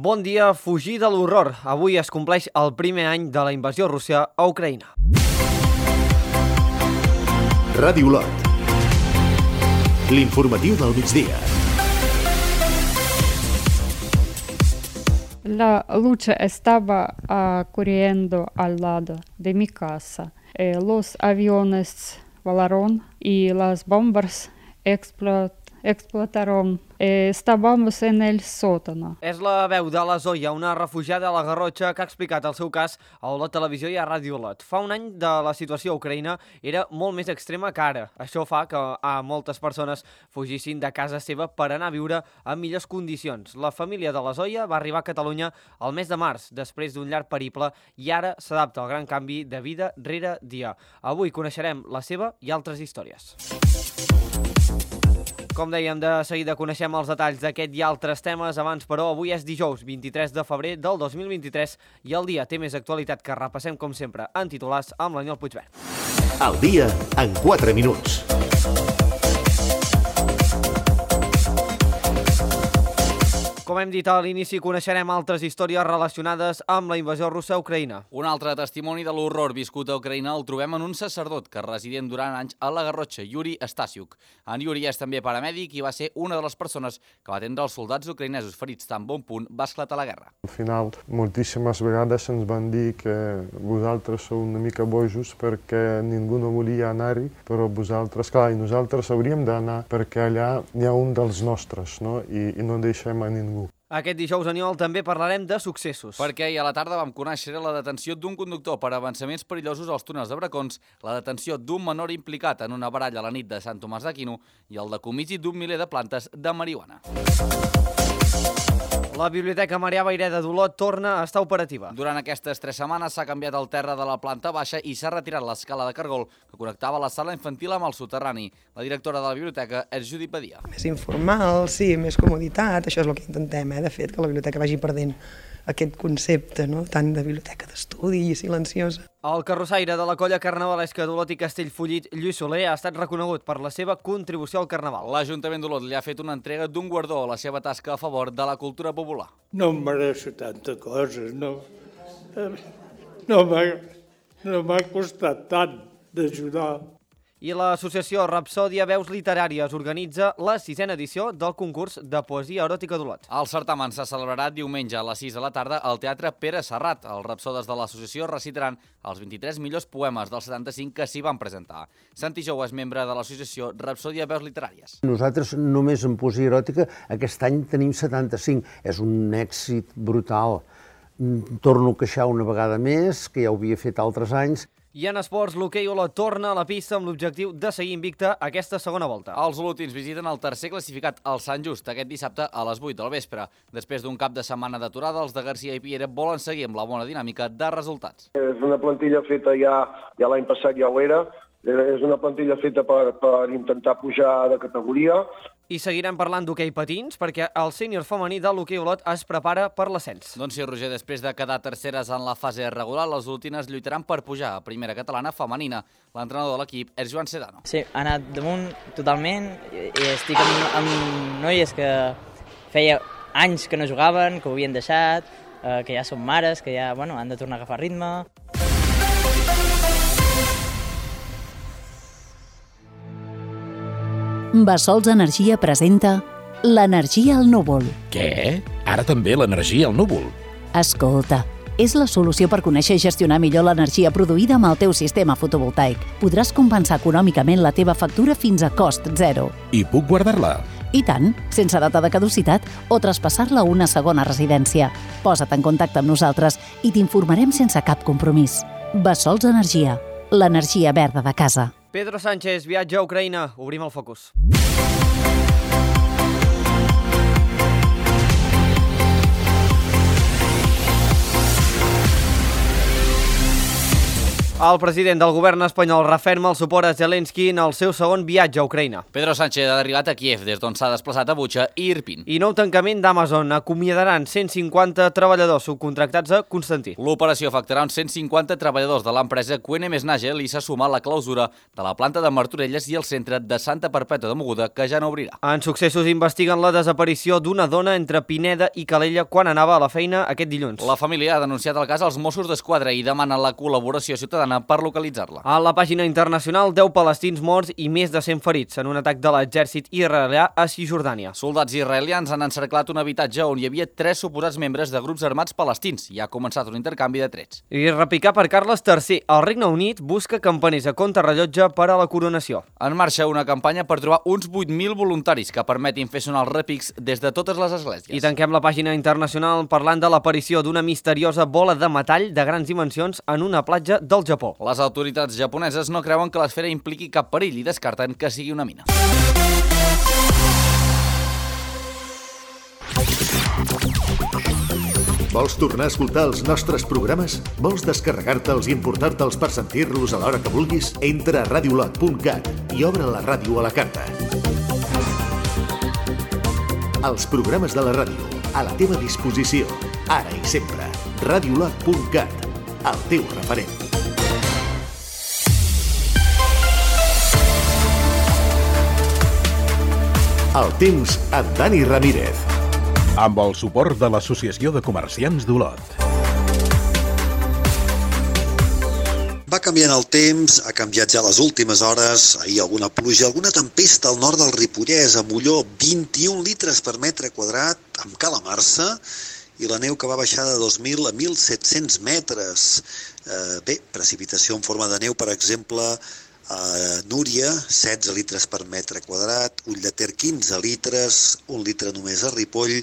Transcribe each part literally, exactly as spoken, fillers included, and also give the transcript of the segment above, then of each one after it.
Bon dia, fugir de l'horror. Avui es compleix el primer any de la invasió russa a Ucraïna. Ràdio Lot. L'informatiu del migdia. La lucha estaba uh, corriendo al lado de mi casa. Eh, los aviones volaron y las bombas explot explotaron. Eh, estábamos en el sótano. És la veu de la Zoia, una refugiada a la Garrotxa que ha explicat el seu cas a la televisió i a Ràdio Lot. Fa un any de la situació a Ucraïna era molt més extrema que ara. Això fa que a moltes persones fugissin de casa seva per anar a viure en millors condicions. La família de la Zoia va arribar a Catalunya el mes de març, després d'un llarg periple, i ara s'adapta al gran canvi de vida rere dia. Avui coneixerem la seva i altres històries. Com dèiem, de seguida coneixem els detalls d'aquest i altres temes. Abans, però, avui és dijous, vint-i-tres de febrer del dos mil vint-i-tres i el dia té més actualitat que repassem, com sempre, en titulars amb l'Aniol Puigverd. El dia en quatre minuts. Com hem dit a l'inici, coneixerem altres històries relacionades amb la invasió russa a Ucraïna. Un altre testimoni de l'horror viscut a Ucraïna el trobem en un sacerdot que residien durant anys a la Garrotxa, Yuri Stasiuk. En Yuri és també paramèdic i va ser una de les persones que va atendre els soldats ucraïnesos ferits tan bon punt va esclatar la guerra. Al final, moltíssimes vegades ens van dir que vosaltres sou una mica bojos perquè ningú no volia anar-hi, però vosaltres, clar, i nosaltres hauríem d'anar perquè allà hi ha un dels nostres, no? I, i no deixem a ningú. Aquest dijous, Aniol, també parlarem de successos. Perquè ahir a la tarda vam conèixer la detenció d'un conductor per avançaments perillosos als túnels de Bracons, la detenció d'un menor implicat en una baralla a la nit de Sant Tomàs d'Aquino i el decomisi d'un miler de plantes de marihuana. La Biblioteca Marià Vayreda d'Olot torna a estar operativa. Durant aquestes tres setmanes s'ha canviat el terra de la planta baixa i s'ha retirat l'escala de cargol que connectava la sala infantil amb el soterrani. La directora de la biblioteca és Judit Badia. Més informal, sí, més comoditat, això és el que intentem, eh, de fet, que la biblioteca vagi perdent aquest concepte, no?, tant de biblioteca d'estudi i silenciosa. El carrossaire de la colla carnavalesca d'Olot i Castellfollit, Lluís Soler, ha estat reconegut per la seva contribució al carnaval. L'Ajuntament d'Olot li ha fet una entrega d'un guardó a la seva tasca a favor de la cultura popular. No em mereixo tanta cosa, no, no m'ha no m'ha costat tant d'ajudar. I l'associació Rapsòdia Veus Literàries organitza la sisena edició del concurs de poesia eròtica d'Olot. El certamen s'ha celebrat diumenge a les sis de la tarda al Teatre Pere Serrat. Els rapsodes de l'associació recitaran els vint-i-tres millors poemes dels setanta-cinc que s'hi van presentar. Santi Jou és membre de l'associació Rapsòdia Veus Literàries. Nosaltres només en poesia eròtica aquest any tenim setanta-cinc. És un èxit brutal. Torno a queixar una vegada més, que ja ho havia fet altres anys. I en esports, l'hoquei Olot torna a la pista amb l'objectiu de seguir invicta aquesta segona volta. Els olotins visiten el tercer classificat, el Sant Just, aquest dissabte a les vuit del vespre. Després d'un cap de setmana d'aturada, els de Garcia i Piera volen seguir amb la bona dinàmica de resultats. És una plantilla feta ja, ja l'any passat ja ho era, és una plantilla feta per, per intentar pujar de categoria. I seguirem parlant d'hoquei patins, perquè el sènior femení de l'hoquei Olot es prepara per l'ascens. Doncs sí, Roger, després de quedar terceres en la fase regular, les olotines lluitaran per pujar a primera catalana femenina. L'entrenador de l'equip és Joan Sedano. Sí, ha anat damunt totalment i estic amb, amb noies que feia anys que no jugaven, que ho havien deixat, eh, que ja són mares, que ja bueno, han de tornar a agafar ritme. Bassols Energia presenta l'energia al núvol. Què? Ara també l'energia al núvol? Escolta, és la solució per conèixer i gestionar millor l'energia produïda amb el teu sistema fotovoltaic. Podràs compensar econòmicament la teva factura fins a cost zero. I puc guardar-la? I tant, sense data de caducitat o traspassar-la a una segona residència. Posa't en contacte amb nosaltres i t'informarem sense cap compromís. Bassols Energia, l'energia verda de casa. Pedro Sánchez viatja a Ucraïna. Obrim el focus. El president del govern espanyol referma el suport a Zelensky en el seu segon viatge a Ucraïna. Pedro Sánchez ha arribat a Kiev, des d'on s'ha desplaçat a Bucha i Irpin. I nou tancament d'Amazon. Acomiadaran cent cinquanta treballadors subcontractats a Constantí. L'operació afectarà uns cent cinquanta treballadors de l'empresa Q N M Nagel i s'ha sumat la clausura de la planta de Martorelles i el centre de Santa Perpètua de Mogoda, que ja no obrirà. En Successos investiguen la desaparició d'una dona entre Pineda i Calella quan anava a la feina aquest dilluns. La família ha denunciat el cas als Mossos d'Esquadra i demana la col·laboració ciutadana per localitzar-la. A la pàgina internacional, deu palestins morts i més de cent ferits en un atac de l'exèrcit israelià a Cisjordània. Soldats israelians han encerclat un habitatge on hi havia tres suposats membres de grups armats palestins i ha començat un intercanvi de trets. I repicar per Carles tercer. El Regne Unit busca campaners a contrarrellotge per a la coronació. En marxa una campanya per trobar uns vuit mil voluntaris que permetin fer sonar els repics des de totes les esglésies. I tanquem la pàgina internacional parlant de l'aparició d'una misteriosa bola de metall de grans dimensions en una platja del Japó. Les autoritats japoneses no creuen que l'esfera impliqui cap perill i descarten que sigui una mina. Vols tornar a escoltar els nostres programes? Vols descarregar-te'ls i importar-te'ls per sentir-los a l'hora que vulguis? Entra a radiolot punt cat i obre la ràdio a la carta. Els programes de la ràdio, a la teva disposició, ara i sempre. radiolot punt cat, el teu referent. El temps amb Dani Ramírez. Amb el suport de l'Associació de Comerciants d'Olot. Va canviant el temps, ha canviat ja les últimes hores, ahir alguna pluja, alguna tempesta al nord del Ripollès, a Molló, vint-i-un litres per metre quadrat, amb Calamarsa, i la neu que va baixar de dos mil a mil set-cents metres. Eh, bé, precipitació en forma de neu, per exemple, a Núria, setze litres per metre quadrat, Ulldeter, quinze litres, un litre només a Ripoll.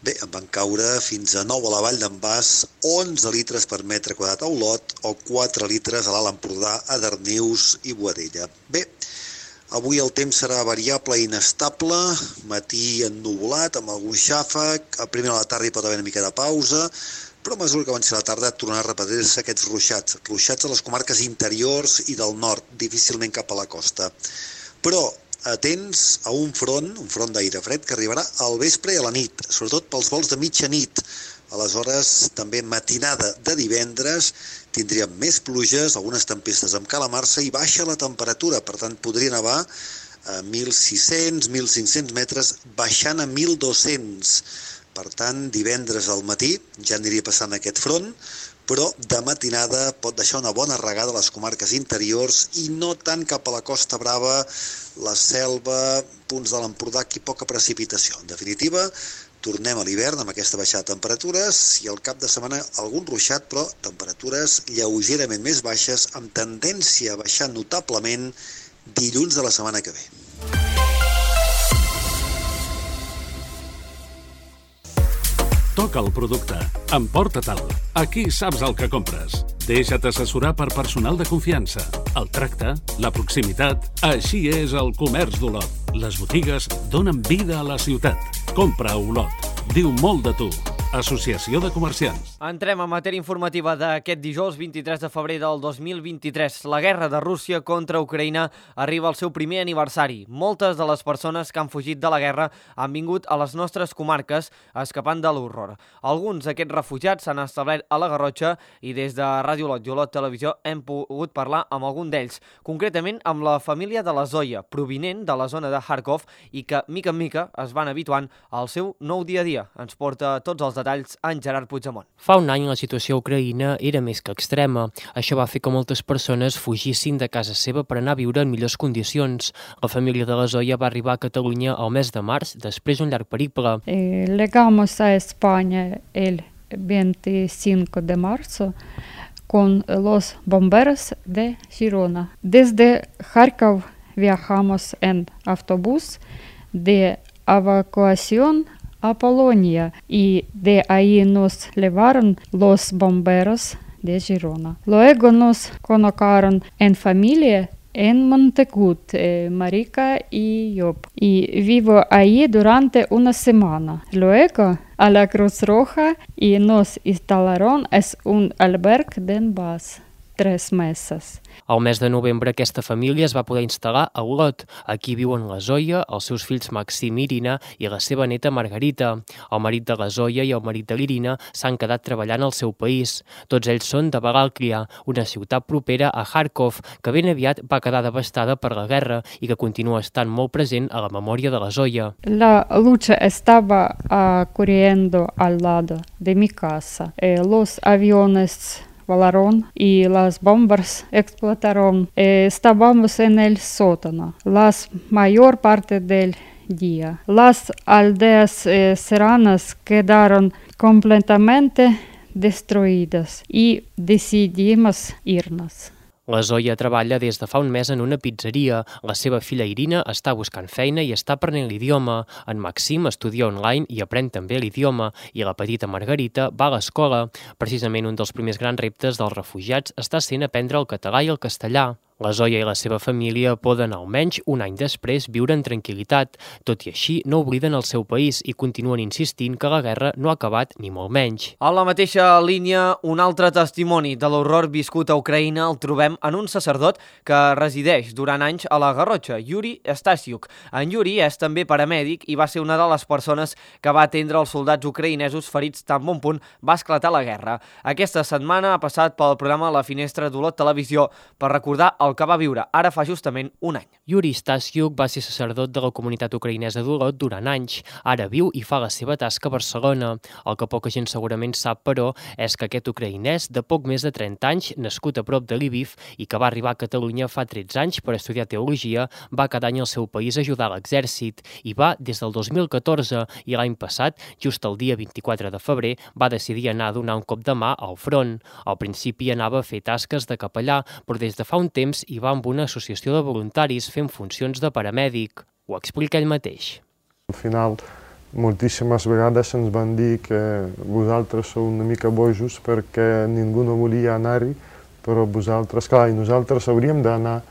Bé, en van caure fins a nou a la Vall d'en Bas, onze litres per metre quadrat a Olot o quatre litres a l'Alt Empordà, a Darnius i Boadella. Bé, avui el temps serà variable i inestable, matí ennuvolat amb algun xàfec, a primera de la tarda hi pot haver una mica de pausa, però a mesura que avanci la tarda tornaran a repetir-se aquests ruixats, ruixats a les comarques interiors i del nord, difícilment cap a la costa. Però atents a un front, un front d'aire fred que arribarà al vespre i a la nit, sobretot pels vols de mitjanit. Aleshores, també matinada de divendres, tindríem més pluges, algunes tempestes amb Calamarsa i baixa la temperatura, per tant podria nevar a mil sis-cents, mil cinc-cents metres, baixant a mil dos-cents. Per tant, divendres al matí ja aniria passant aquest front, però de matinada pot deixar una bona regada a les comarques interiors i no tant cap a la Costa Brava, la Selva, punts de l'Empordà, aquí poca precipitació. En definitiva, tornem a l'hivern amb aquesta baixada de temperatures i al cap de setmana algun ruixat, però temperatures lleugerament més baixes, amb tendència a baixar notablement dilluns de la setmana que ve. Toca el producte, emporta-te'l. Aquí saps el que compres. Deixa't assessorar per personal de confiança. El tracte, la proximitat, així és el comerç d'Olot. Les botigues donen vida a la ciutat. Compra a Olot. Diu molt de tu. Associació de Comerciants. Entrem a matèria informativa d'aquest dijous vint-i-tres de febrer del dos mil vint-i-tres. La guerra de Rússia contra Ucraïna arriba al seu primer aniversari. Moltes de les persones que han fugit de la guerra han vingut a les nostres comarques escapant de l'horror. Alguns d'aquests refugiats s'han establert a la Garrotxa i des de Ràdio Olot i Olot Televisió hem pogut parlar amb algun d'ells, concretament amb la família de la Zoia, provinent de la zona de Kharkov i que, mica en mica, es van habituant al seu nou dia a dia. Ens porta tots els detalls en Gerard Puigdemont. Fa un any la situació a Ucraïna era més que extrema. Això va fer que moltes persones fugissin de casa seva per anar a viure en millors condicions. La família de la Zoia va arribar a Catalunya al mes de març, després d'un llarg periple. Eh, llegamos a España el veinticinco de marzo con los bomberos de Girona. Desde Kharkov viajamos en autobús de evacuación a Polonia y de ahí nos llevaron los bomberos de Girona. Luego nos colocaron en familia en Montegut, eh, Marica y yo. Y vivo ahí durante una semana. Luego a la Cruz Roja y nos instalaron en un albergue de Donbass. tres mesos. Al mes de novembre aquesta família es va poder instal·lar a Olot. Aquí viuen la Zoya, els seus fills Maxim i Irina i la seva neta Margarita. El marit de la Zoya i el marit de l'Irina s'han quedat treballant al seu país. Tots ells són de Bagalklia, una ciutat propera a Kharkov, que ben aviat va quedar devastada per la guerra i que continua estant molt present a la memòria de la Zoya. La lucha estaba uh, corriendo al lado de mi casa. Eh, los aviones volaron y las bombas explotaron. Eh, estábamos en el sótano la mayor parte del día. Las aldeas eh, serranas quedaron completamente destruidas y decidimos irnos. La Zoya treballa des de fa un mes en una pizzeria. La seva filla Irina està buscant feina i està aprenent l'idioma. En Maxim estudia online i aprèn també l'idioma. I la petita Margarita va a l'escola. Precisament un dels primers grans reptes dels refugiats està sent aprendre el català i el castellà. La Zoya i la seva família poden, almenys un any després, viure en tranquil·litat. Tot i així, no obliden el seu país i continuen insistint que la guerra no ha acabat ni molt menys. A la mateixa línia, un altre testimoni de l'horror viscut a Ucraïna el trobem en un sacerdot que resideix durant anys a la Garrotxa, Yuri Stasiuk. En Yuri és també paramèdic i va ser una de les persones que va atendre els soldats ucraïnesos ferits tan bon punt va esclatar la guerra. Aquesta setmana ha passat pel programa La Finestra d'Olot Televisió per recordar el que va viure ara fa justament un any. Yuri Stasiuk va ser sacerdot de la comunitat ucraïnesa d'Olot durant anys. Ara viu i fa la seva tasca a Barcelona. El que poca gent segurament sap, però, és que aquest ucraïnès de poc més de trenta anys, nascut a prop de Lviv i que va arribar a Catalunya fa tretze anys per estudiar teologia, va cada any al seu país a ajudar a l'exèrcit. I va des del dos mil catorze i l'any passat, just el dia vint-i-quatre de febrer, va decidir anar a donar un cop de mà al front. Al principi anava a fer tasques de capellà, però des de fa un temps i va amb una associació de voluntaris fent funcions de paramèdic. Ho explica ell mateix. Al final, moltíssimes vegades ens van dir que vosaltres sou una mica bojos perquè ningú no volia anar-hi, però vosaltres, clar, i nosaltres hauríem d'anar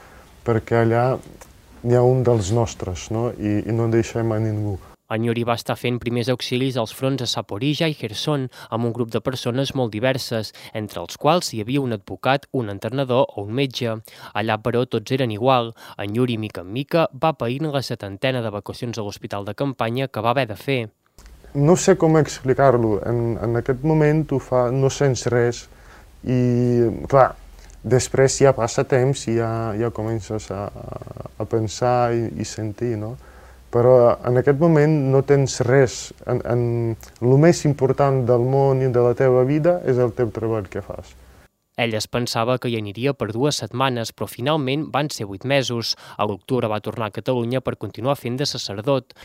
perquè allà hi ha un dels nostres, no? I, i no deixem a ningú. En Yuri va estar fent primers auxilis als fronts a Zaporizhia i Kherson amb un grup de persones molt diverses, entre els quals hi havia un advocat, un entrenador o un metge. Allà, però, tots eren igual. En Yuri, mica en mica, va paint la setantena d'evacuacions a l'hospital de campanya que va haver de fer. No sé com explicar-lo. En, en aquest moment tu fa, no sents res i, clar, després ja passa temps i ja, ja comences a, a pensar i, i sentir, no? Però en aquest moment no tens res. En, en, el més important del món i de la teva vida és el teu treball que fas. Ell es pensava que hi aniria per dues setmanes, però finalment van ser vuit mesos. A l'octubre va tornar a Catalunya per continuar fent de sacerdot.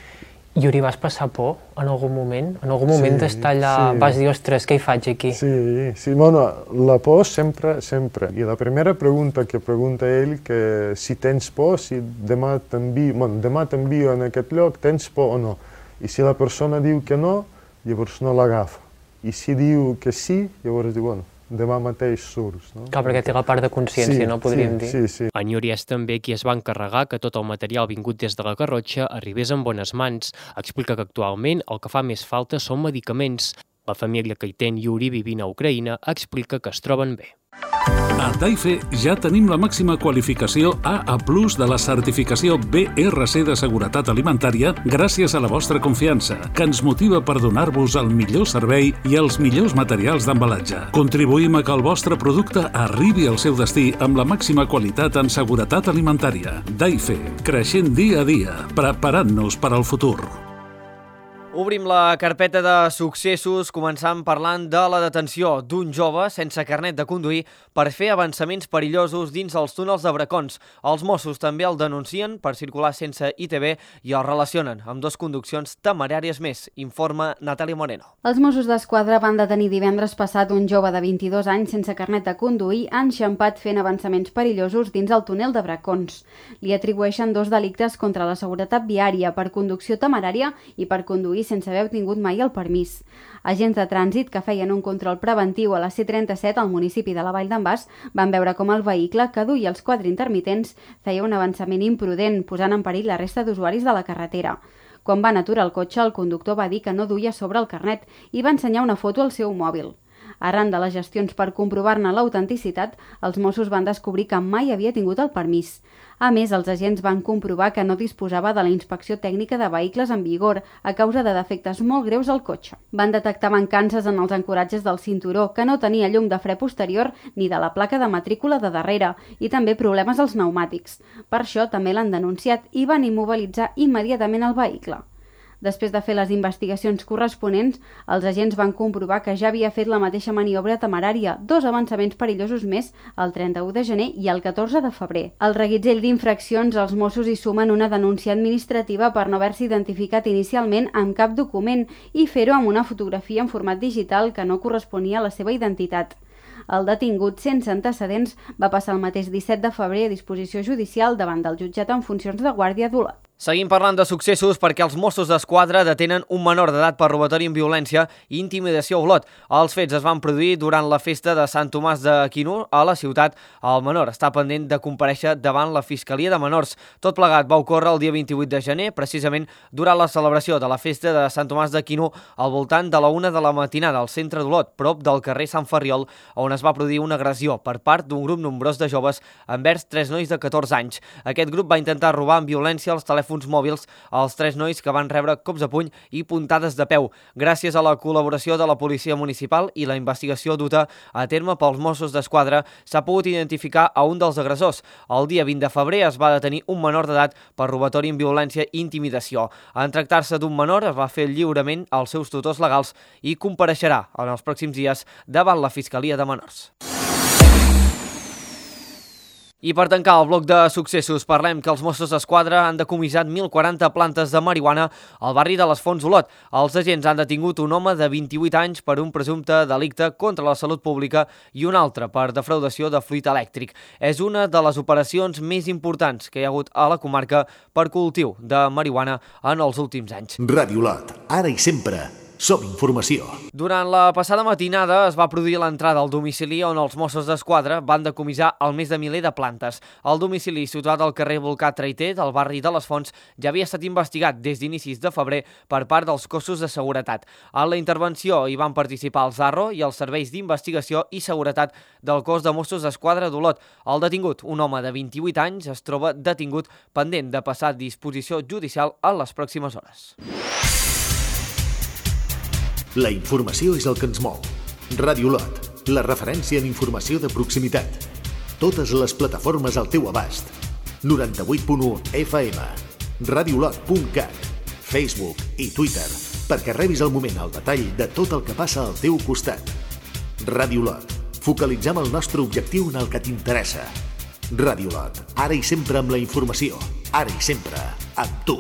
Yuri, vas passar por en algun moment? En algun moment Sí, d'estar allà sí. vas dir, ostres, què hi faig aquí? Sí, sí, bueno, la por sempre, sempre. I la primera pregunta que pregunta ell, que si tens por, si demà t'envio, bueno, demà t'envio en aquest lloc, tens por o no? I si la persona diu que no, llavors no l'agafa. I si diu que sí, llavors diu, bueno, demà mateix surts, no? Clar, perquè té la part de consciència, Sí, no podríem sí, dir. sí, sí. En Yuri és també qui es va encarregar que tot el material vingut des de la Garrotxa arribés en bones mans. Explica que actualment el que fa més falta són medicaments. La família que hi té en Yuri vivint a Ucraïna explica que es troben bé. A Daife ja tenim la màxima qualificació A A plus de la certificació B R C de seguretat alimentària gràcies a la vostra confiança, que ens motiva per donar-vos el millor servei i els millors materials d'embalatge. Contribuïm a que el vostre producte arribi al seu destí amb la màxima qualitat en seguretat alimentària. Daife, creixent dia a dia, preparant-nos per al futur. Obrim la carpeta de successos començant parlant de la detenció d'un jove sense carnet de conduir per fer avançaments perillosos dins els túnels de Bracons. Els Mossos també el denuncien per circular sense I T B i el relacionen amb dues conduccions temeràries més, informa Natàlia Moreno. Els Mossos d'Esquadra van detenir divendres passat un jove de vint-i-dos anys sense carnet de conduir enxampat fent avançaments perillosos dins el túnel de Bracons. Li atribueixen dos delictes contra la seguretat viària per conducció temerària i per conduir sense haver obtingut mai el permís. Agents de trànsit que feien un control preventiu a la C trenta-set al municipi de la Vall d'en Bas van veure com el vehicle que duia els quadres intermitents feia un avançament imprudent, posant en perill la resta d'usuaris de la carretera. Quan van aturar el cotxe, el conductor va dir que no duia sobre el carnet i va ensenyar una foto al seu mòbil. Arran de les gestions per comprovar-ne l'autenticitat, els Mossos van descobrir que mai havia tingut el permís. A més, els agents van comprovar que no disposava de la inspecció tècnica de vehicles en vigor a causa de defectes molt greus al cotxe. Van detectar mancances en els ancoratges del cinturó, que no tenia llum de fre posterior ni de la placa de matrícula de darrere, i també problemes als pneumàtics. Per això també l'han denunciat i van immobilitzar immediatament el vehicle. Després de fer les investigacions corresponents, els agents van comprovar que ja havia fet la mateixa maniobra temerària, dos avançaments perillosos més, el trenta-u de gener i el catorze de febrer. Al reguitzell d'infraccions, els Mossos hi sumen una denúncia administrativa per no haver-se identificat inicialment amb cap document i fer-ho amb una fotografia en format digital que no corresponia a la seva identitat. El detingut, sense antecedents, va passar el mateix disset de febrer a disposició judicial davant del jutjat en funcions de guàrdia d'Olot. Seguim parlant de successos perquè els Mossos d'Esquadra detenen un menor d'edat per robatori amb violència i intimidació a Olot. Els fets es van produir durant la festa de Sant Tomàs d'Aquino a la ciutat. El menor està pendent de comparèixer davant la Fiscalia de Menors. Tot plegat va ocórrer el dia vint-i-vuit de gener, precisament durant la celebració de la festa de Sant Tomàs d'Aquino al voltant de la una de la matinada al centre d'Olot, prop del carrer Sant Ferriol, on es va produir una agressió per part d'un grup nombrós de joves envers tres nois de catorze anys. Aquest grup va intentar robar amb violència els telèfons mòbils als tres nois que van rebre cops de puny i puntades de peu. Gràcies a la col·laboració de la policia municipal i la investigació duta a terme pels Mossos d'Esquadra, s'ha pogut identificar a un dels agressors. El dia vint de febrer es va detenir un menor d'edat per robatori amb violència i intimidació. En tractar-se d'un menor, es va fer lliurement als seus tutors legals i compareixerà en els pròxims dies davant la Fiscalia de Menors. I per tancar el bloc de successos, parlem que els Mossos d'Esquadra han decomissat mil quaranta plantes de marihuana al barri de les Fonts Olot. Els agents han detingut un home de vint-i-vuit anys per un presumpte delicte contra la salut pública i un altre per defraudació de fluid elèctric. És una de les operacions més importants que hi ha hagut a la comarca per cultiu de marihuana en els últims anys. Ràdio Olot, ara i sempre. Som informació. Durant la passada matinada es va produir l'entrada al domicili on els Mossos d'Esquadra van decomissar el més de miler de plantes. El domicili, situat al carrer Volcà Traiter del barri de les Fonts, ja havia estat investigat des d'inicis de febrer per part dels cossos de seguretat. En la intervenció hi van participar el Zarro i els serveis d'investigació i seguretat del cos de Mossos d'Esquadra d'Olot. El detingut, un home de vint-i-vuit anys, es troba detingut pendent de passar a disposició judicial en les pròximes hores. La informació és el que ens mou. Ràdio Olot, la referència en informació de proximitat. Totes les plataformes al teu abast. noranta-vuit punt u F M, radiolot punt cat, Facebook i Twitter, perquè rebis al moment el detall de tot el que passa al teu costat. Ràdio Olot, focalitzem el nostre objectiu en el que t'interessa. Ràdio Olot, ara i sempre amb la informació, ara i sempre amb tu.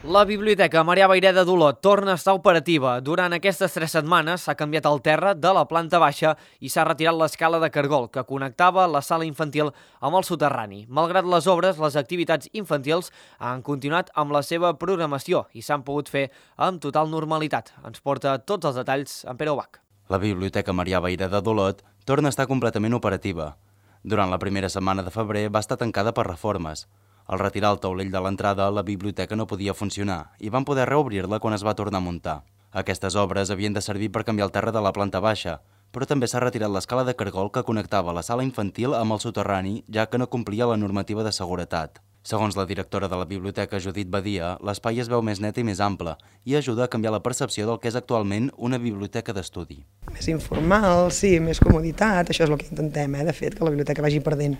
La Biblioteca Marià Vayreda d'Olot torna a estar operativa. Durant aquestes tres setmanes s'ha canviat el terra de la planta baixa i s'ha retirat l'escala de cargol que connectava la sala infantil amb el soterrani. Malgrat les obres, les activitats infantils han continuat amb la seva programació i s'han pogut fer amb total normalitat. Ens porta tots els detalls en Pere Ubach. La Biblioteca Marià Vayreda d'Olot torna a estar completament operativa. Durant la primera setmana de febrer va estar tancada per reformes. Al retirar el taulell de l'entrada, la biblioteca no podia funcionar i van poder reobrir-la quan es va tornar a muntar. Aquestes obres havien de servir per canviar el terra de la planta baixa, però també s'ha retirat l'escala de cargol que connectava la sala infantil amb el soterrani, ja que no complia la normativa de seguretat. Segons la directora de la biblioteca, Judit Badia, l'espai es veu més net i més ample i ajuda a canviar la percepció del que és actualment una biblioteca d'estudi. Més informal, sí, més comoditat, això és el que intentem, eh, de fet, que la biblioteca vagi perdent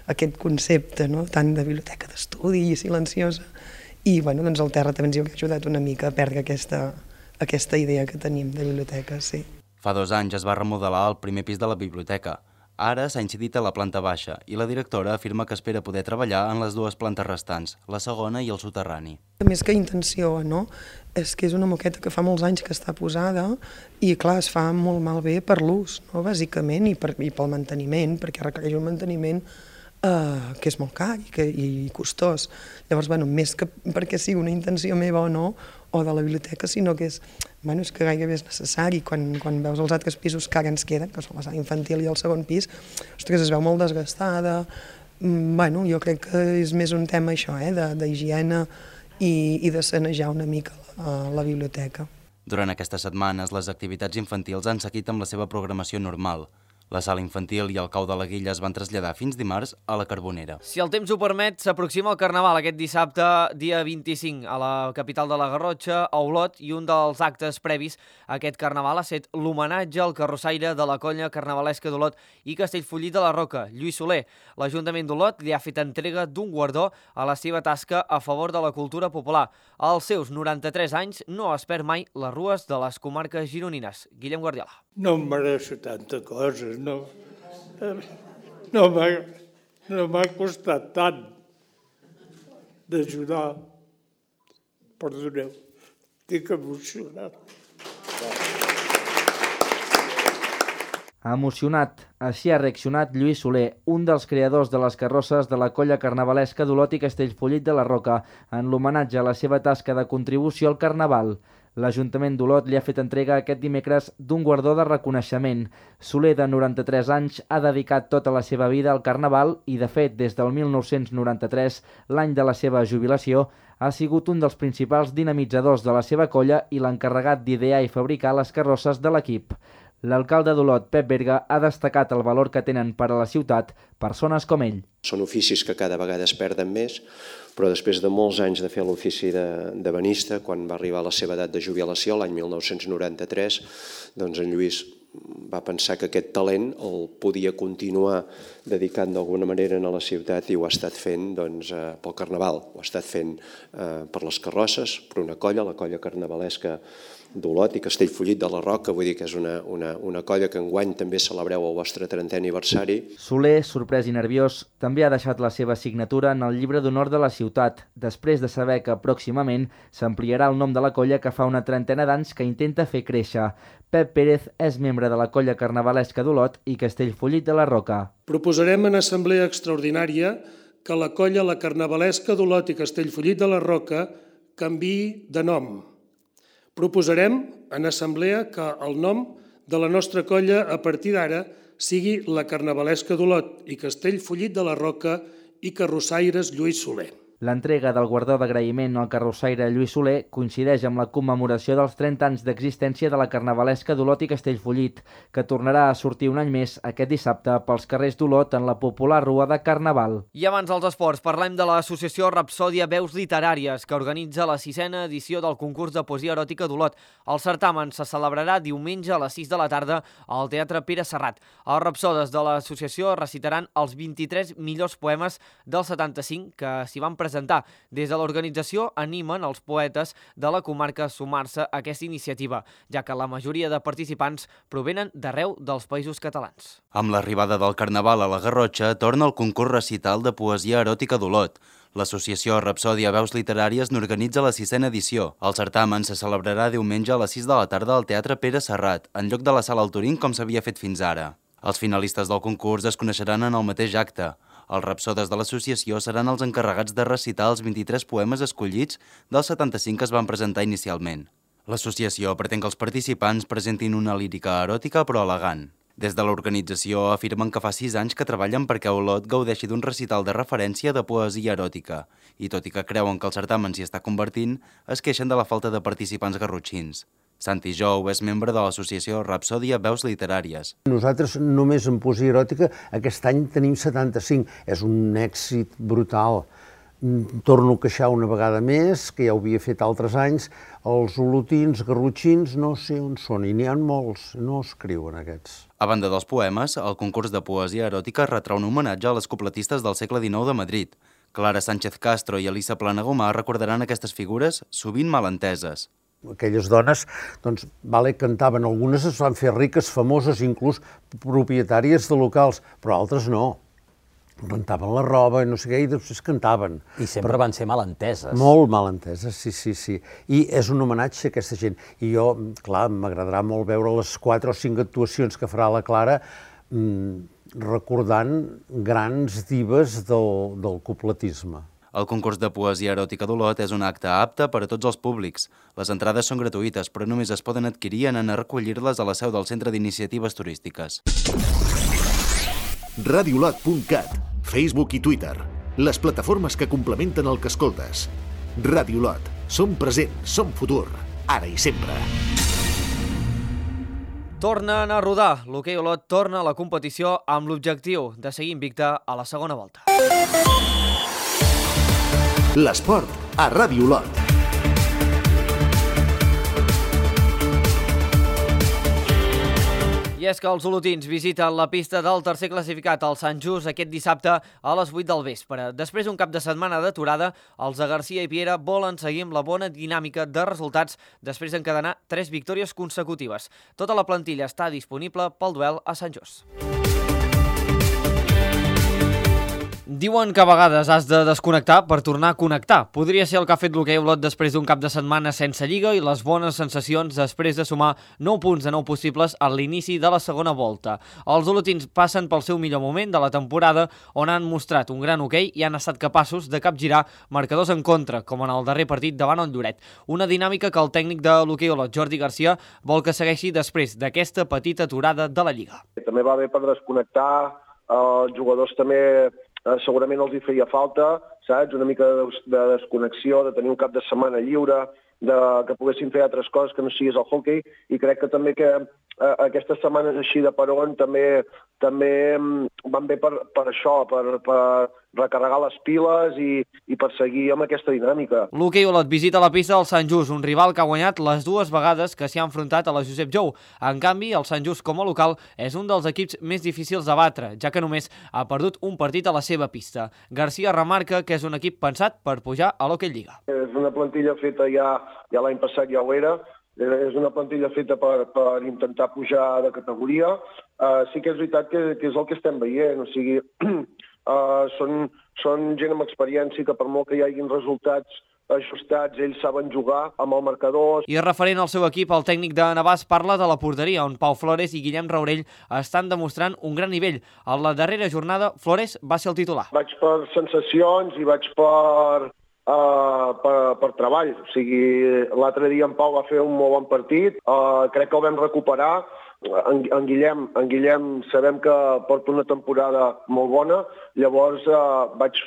aquest concepte, no?, tant de biblioteca d'estudi i silenciosa. I bueno, doncs el terra també ens hi ha ajudat una mica a perdre aquesta, aquesta idea que tenim de biblioteca, sí. Fa dos anys es va remodelar el primer pis de la biblioteca. Ara s'ha incidit a la planta baixa i la directora afirma que espera poder treballar en les dues plantes restants, la segona i el soterrani. Més que intenció, no? És que és una moqueta que fa molts anys que està posada i, clar, es fa molt malbé per l'ús, no?, bàsicament, i, per, i pel manteniment, perquè requereix un manteniment Uh, que és molt car i, que, i costós. Llavors, bueno, més que perquè sigui una intenció meva o no, o de la biblioteca, sinó que és, bueno, és que gairebé és necessari. Quan, quan veus els altres pisos que ara ens queden, que són la sala infantil i el segon pis, ostres, es veu molt desgastada. Mm, bueno, jo crec que és més un tema això, eh, d'higiene i, i de sanejar una mica la, la biblioteca. Durant aquestes setmanes, les activitats infantils han seguit amb la seva programació normal. La sala infantil i el cau de la Guilla es van traslladar fins dimarts a la Carbonera. Si el temps ho permet, s'aproxima el Carnaval aquest dissabte, dia vint-i-cinc, a la capital de la Garrotxa, a Olot, i un dels actes previs a aquest Carnaval ha estat l'homenatge al carrossaire de la colla carnavalesca d'Olot i Castellfollit de la Roca, Lluís Soler. L'Ajuntament d'Olot li ha fet entrega d'un guardó a la seva tasca a favor de la cultura popular. Als seus noranta-tres anys no es perd mai les rues de les comarques gironines. Guillem Guardiola. No em mereixo tanta cosa, no, no m'ha no m'ha costat tant d'ajudar. Perdoneu, estic emocionat. Emocionat, així ha reaccionat Lluís Soler, un dels creadors de les carrosses de la colla carnavalesca d'Olot i Castellfollit de la Roca, en l'homenatge a la seva tasca de contribució al Carnaval. L'Ajuntament d'Olot li ha fet entrega aquest dimecres d'un guardó de reconeixement. Soler, de noranta-tres anys, ha dedicat tota la seva vida al Carnaval i, de fet, des del mil nou-cents noranta-tres, l'any de la seva jubilació, ha sigut un dels principals dinamitzadors de la seva colla i l'encarregat d'idear i fabricar les carrosses de l'equip. L'alcalde d'Olot, Pep Berga, ha destacat el valor que tenen per a la ciutat persones com ell. Són oficis que cada vegada es perden més, però després de molts anys de fer l'ofici de, de benista, quan va arribar a la seva edat de jubilació, l'any mil nou-cents noranta-tres, doncs en Lluís va pensar que aquest talent el podia continuar dedicant d'alguna manera a la ciutat i ho ha estat fent doncs, pel Carnaval, ho ha estat fent eh, per les carrosses, per una colla, la colla carnavalesca d'Olot i Castellfollit de la Roca, vull dir que és una, una, una colla que enguany també celebreu el vostre trentè aniversari. Soler, sorprès i nerviós, també ha deixat la seva signatura en el llibre d'honor de la ciutat, després de saber que pròximament s'ampliarà el nom de la colla que fa una trentena d'anys que intenta fer créixer. Pep Pérez és membre de la colla carnavalesca d'Olot i Castellfollit de la Roca. Proposarem en assemblea extraordinària que la colla la carnavalesca d'Olot i Castellfollit de la Roca canviï de nom. Proposarem en assemblea que el nom de la nostra colla a partir d'ara sigui la carnavalesca d'Olot i Castellfollit de la Roca i carrossaires Lluís Soler. L'entrega del guardó d'agraïment al carrossaire Lluís Soler coincideix amb la commemoració dels trenta anys d'existència de la carnavalesca d'Olot i Castellfollit, que tornarà a sortir un any més aquest dissabte pels carrers d'Olot en la popular Rua de Carnaval. I abans dels esports, parlem de l'associació Rapsòdia Veus Literàries, que organitza la sisena edició del concurs de poesia eròtica d'Olot. El certamen se celebrarà diumenge a les sis de la tarda al Teatre Pere Serrat. Els rapsodes de l'associació recitaran els vint-i-tres millors poemes del setanta-cinc que s'hi van presentar. presentar. Des de l'organització animen els poetes de la comarca a sumar-se a aquesta iniciativa, ja que la majoria de participants provenen d'arreu dels països catalans. Amb l'arribada del Carnaval a la Garrotxa, torna el concurs recital de poesia eròtica d'Olot. L'associació Rapsòdia Veus Literàries n'organitza la sisena edició. El certamen se celebrarà diumenge a les sis de la tarda al Teatre Pere Serrat, en lloc de la Sala Altorín com s'havia fet fins ara. Els finalistes del concurs es coneixeran en el mateix acte. Els rapsodes de l'associació seran els encarregats de recitar els vint-i-tres poemes escollits dels setanta-cinc que es van presentar inicialment. L'associació pretén que els participants presentin una lírica eròtica però elegant. Des de l'organització afirmen que fa sis anys que treballen perquè Olot gaudeixi d'un recital de referència de poesia eròtica i, tot i que creuen que el certamen s'hi està convertint, es queixen de la falta de participants garrotxins. Santi Jou és membre de l'associació Rapsòdia Veus Literàries. Nosaltres només en poesia eròtica aquest any tenim setanta-cinc. És un èxit brutal. Torno a queixar una vegada més, que ja ho havia fet altres anys, els olotins, garrotxins, no sé on són, i n'hi ha molts, no escriuen aquests. A banda dels poemes, el concurs de poesia eròtica retrà un homenatge a les copletistes del segle dinou de Madrid. Clara Sánchez Castro i Elisa Planagumà recordaran aquestes figures, sovint malenteses. Aquelles dones, doncs, vale, cantaven, algunes es van fer riques, famoses, inclús propietàries de locals, però altres no. Rentaven la roba, no sé què, i després cantaven. I sempre però van ser malenteses. Molt malenteses, sí, sí, sí. I és un homenatge a aquesta gent. I jo, clar, m'agradarà molt veure les quatre o cinc actuacions que farà la Clara mmm, recordant grans divas del, del copletisme. El concurs de poesia eròtica d'Olot és un acte apte per a tots els públics. Les entrades són gratuïtes, però només es poden adquirir en anar a recollir-les a la seu del Centre d'Iniciatives Turístiques. radiolot punt cat, Facebook i Twitter, les plataformes que complementen el que escoltes. Radiolot, som present, som futur, ara i sempre. Tornen a rodar. L'hoquei Olot torna a la competició amb l'objectiu de seguir invicte a la segona volta. L'esport a Ràdio Olot. I és que els olotins visiten la pista del tercer classificat, el Sant Just, aquest dissabte a les vuit del vespre. Després d'un cap de setmana d'aturada, els de Garcia i Piera volen seguir amb la bona dinàmica de resultats després d'encadenar tres victòries consecutives. Tota la plantilla està disponible pel duel a Sant Just. Diuen que a vegades has de desconnectar per tornar a connectar. Podria ser el que ha fet l'hoquei Olot després d'un cap de setmana sense lliga i les bones sensacions després de sumar nou punts de nou possibles a l'inici de la segona volta. Els olotins passen pel seu millor moment de la temporada, on han mostrat un gran hoquei i han estat capaços de capgirar marcadors en contra, com en el darrer partit davant el Lloret. Una dinàmica que el tècnic de l'hoquei Olot, Jordi Garcia, vol que segueixi després d'aquesta petita aturada de la lliga. També va bé per desconnectar, els jugadors també segurament els hi feia falta, saps? Una mica de desconnexió, de tenir un cap de setmana lliure, de que poguessin fer altres coses que no siguis el hoquei, i crec que també que eh, aquestes setmanes així de peron també també van bé per, per això, per, per recarregar les piles i, i per seguir amb aquesta dinàmica. L'hoquei Olot visita la pista del Sant Just, un rival que ha guanyat les dues vegades que s'hi ha enfrontat a la Josep Jou. En canvi, el Sant Just com a local és un dels equips més difícils de batre, ja que només ha perdut un partit a la seva pista. Garcia remarca que és un equip pensat per pujar a l'Hoquei Lliga. És una plantilla feta ja, ja l'any passat ja ho era, és una plantilla feta per, per intentar pujar de categoria. Uh, sí que és veritat que, que és el que estem veient, o sigui, uh, són, són gent amb experiència que per molt que hi hagin resultats ajustats, ells saben jugar amb el marcador. I referent al seu equip, el tècnic de Navàs parla de la porteria, on Pau Flores i Guillem Raurell estan demostrant un gran nivell. A la darrera jornada, Flores va ser el titular. Vaig per sensacions i vaig per... Uh, per, per treball. O sigui, l'altre dia en Pau va fer un molt bon partit, uh, crec que el vam recuperar. En, en, Guillem, en Guillem sabem que porta una temporada molt bona, llavors uh, vaig,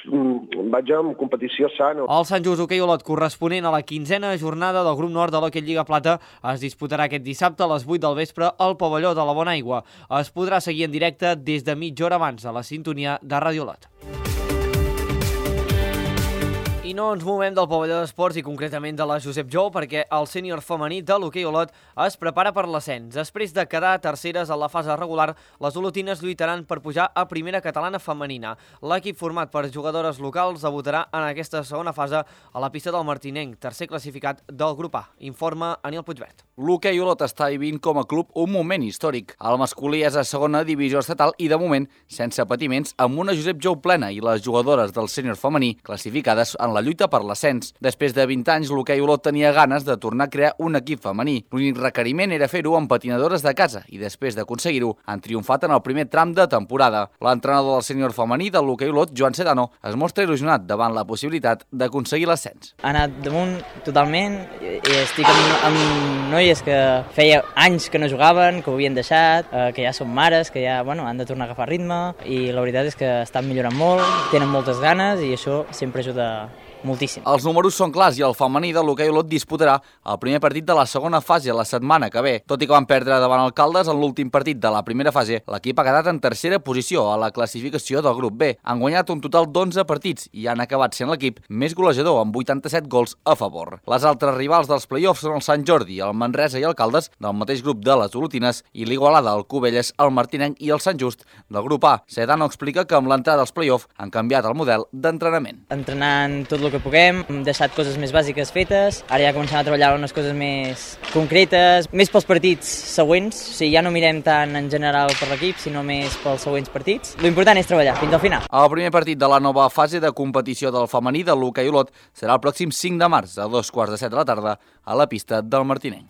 vaig amb competició sana. El Sant Just Hoquei Olot, corresponent a la quinzena jornada del grup nord de l'Hoquei Lliga Plata, es disputarà aquest dissabte a les vuit del vespre al pavelló de la Bonaigua. Es podrà seguir en directe des de mitja hora abans a la sintonia de Ràdio Olot. I no ens movem del pavelló d'esports i concretament de la Josep Jou, perquè el sènior femení de l'hoquei Olot es prepara per l'ascens. Després de quedar terceres a la fase regular, les olotines lluitaran per pujar a primera catalana femenina. L'equip format per jugadores locals debutarà en aquesta segona fase a la pista del Martinenc, tercer classificat del grup A. Informa Aniel Puigvert. L'hoquei Olot està vivint com a club un moment històric. El masculí és a segona divisió estatal i, de moment, sense patiments, amb una Josep Jou plena i les jugadores del sènior femení classificades en la lluita per l'ascens. Després de vint anys, l'hoquei Olot tenia ganes de tornar a crear un equip femení. L'únic requeriment era fer-ho amb patinadores de casa i després d'aconseguir-ho han triomfat en el primer tram de temporada. L'entrenador del sènior femení de l'hoquei Olot, Joan Sedano, es mostra il·lusionat davant la possibilitat d'aconseguir l'ascens. Ha anat damunt totalment i estic amb, amb noies que feia anys que no jugaven, que ho havien deixat, eh, que ja són mares, que ja bueno, han de tornar a agafar ritme i la veritat és que estan millorant molt, tenen moltes ganes i això sempre ajuda moltíssim. Els números són clars i el femení de l'hoquei Olot disputarà el primer partit de la segona fase la setmana que ve. Tot i que van perdre davant el Caldes en l'últim partit de la primera fase, l'equip ha quedat en tercera posició a la classificació del grup B. Han guanyat un total d'onze partits i han acabat sent l'equip més golejador amb vuitanta-set gols a favor. Les altres rivals dels play-offs són el Sant Jordi, el Manresa i el Caldes, del mateix grup de les olotines, i l'Igualada, el Cubelles, el Martinenc i el Sant Just del grup A. Sedano explica que amb l'entrada als play-offs han canviat el model d'entrenament. Entrenant tot el que puguem, hem deixat coses més bàsiques fetes, ara ja comencem a treballar unes coses més concretes, més pels partits següents, o sigui, ja no mirem tant en general per l'equip, sinó més pels següents partits. L'important és treballar fins al final. El primer partit de la nova fase de competició del femení de l'hoquei Olot serà el pròxim cinc de març, a dos quarts de set de la tarda, a la pista del Martinenc.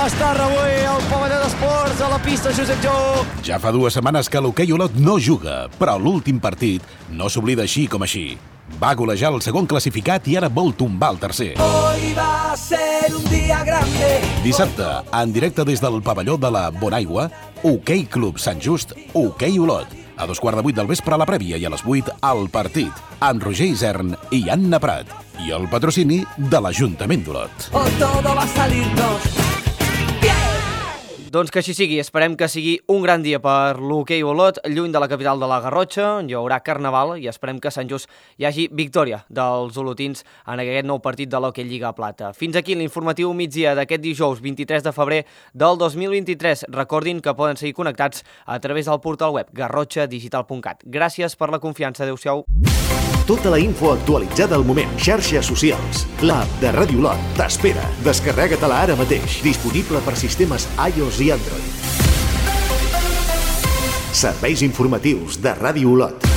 Estar avui al pavelló d'esports a la pista Josep Jou. Ja fa dues setmanes que l'hoquei Olot no juga, però l'últim partit no s'oblida així com així. Va golejar el segon classificat i ara vol tombar el tercer. Hoy va a ser un día grande. Dissabte, en directe des del pavelló de la Bonaigua, Hoquei Club Sant Just, Hoquei Olot. A dos quarts de vuit del vespre a la prèvia i a les vuit al partit, amb Roger Isern i Anna Prat. I el patrocini de l'Ajuntament d'Olot. O todo va a salirnos. Doncs que així sigui, esperem que sigui un gran dia per l'hoquei Olot, lluny de la capital de la Garrotxa, hi haurà carnaval i esperem que a Sant Just hi hagi victòria dels olotins en aquest nou partit de l'Hockey Lliga Plata. Fins aquí l'informatiu migdia d'aquest dijous vint-i-tres de febrer del dos mil vint-i-tres. Recordin que poden seguir connectats a través del portal web garrotxa digital punt cat. Gràcies per la confiança, adeu-siau. Tota la info actualitzada al moment. Xarxes socials. L'app de Ràdio Olot t'espera. Descarrega-te-la ara mateix. Disponible per sistemes iOS i Android. Serveis informatius de Ràdio Olot.